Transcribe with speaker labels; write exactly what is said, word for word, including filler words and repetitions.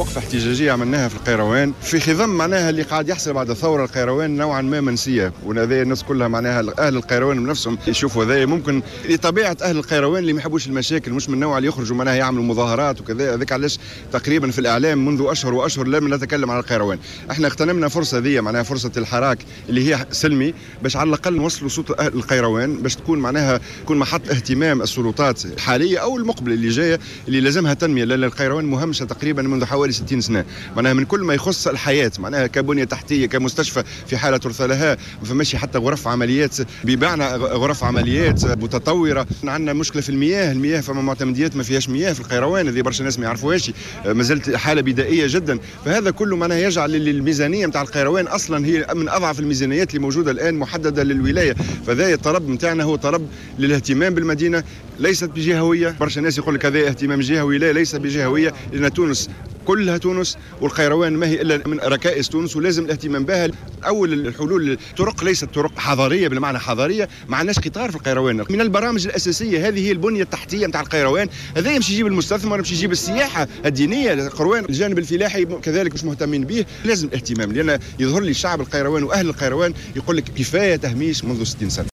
Speaker 1: وقفه احتجاجية عملناها في القيروان في خضم معناها اللي قاعد يحصل بعد الثوره. القيروان نوعا ما منسيه، وهذا الناس كلها معناها اهل القيروان بنفسهم يشوفوا هذا، ممكن لطبيعة اهل القيروان اللي ما يحبوش المشاكل، مش من النوع اللي يخرجوا معناها يعملوا مظاهرات وكذا. هذاك علاش تقريبا في الاعلام منذ اشهر واشهر لم نتكلم على القيروان. احنا اغتنمنا فرصة ذي معناها فرصة الحراك اللي هي سلمي باش على الاقل نوصلوا صوت اهل القيروان، باش تكون معناها تكون محط اهتمام السلطات الحالية او المقبلة اللي جاية اللي لازمها تنميه، لان القيروان مهمشه تقريبا منذ حوالي ستين سنة، معناها من كل ما يخص الحياه، معناها كبنيه تحتيه، كمستشفى في حاله ترثى لها، ما فماش حتى غرف عمليات، بمعنى غرف عمليات متطوره. عندنا مشكلة في المياه، المياه فما معتمديات ما فيهاش مياه في القيروان، هذه برشا ناس ما يعرفوهاش، ما زالت حاله بدائية جدا. فهذا كله معناها يجعل الميزانية نتاع القيروان اصلا هي من اضعف الميزانيات اللي موجودة الان محددة للولايه. فذا الطلب نتاعنا هو طلب للاهتمام بالمدينه، ليست بجهويه. برشا ناس يقول لك هذا اهتمام جهوي، لا ليس بجهويه، لان تونس كلها تونس والقيروان ما هي الا من ركائز تونس ولازم الاهتمام بها. اول الحلول الطرق ليست طرق حضارية بالمعنى حضاريه، ما عندناش قطار في القيروان. من البرامج الاساسية هذه هي البنية التحتية نتاع القيروان، هذا يمشي يجيب المستثمر، يمشي يجيب السياحة الدينية للقيروان. الجانب الفلاحي كذلك مش مهتمين به، لازم الاهتمام، لان يظهر لي شعب القيروان واهل القيروان يقول لك كفاية تهميش منذ ستين سنة.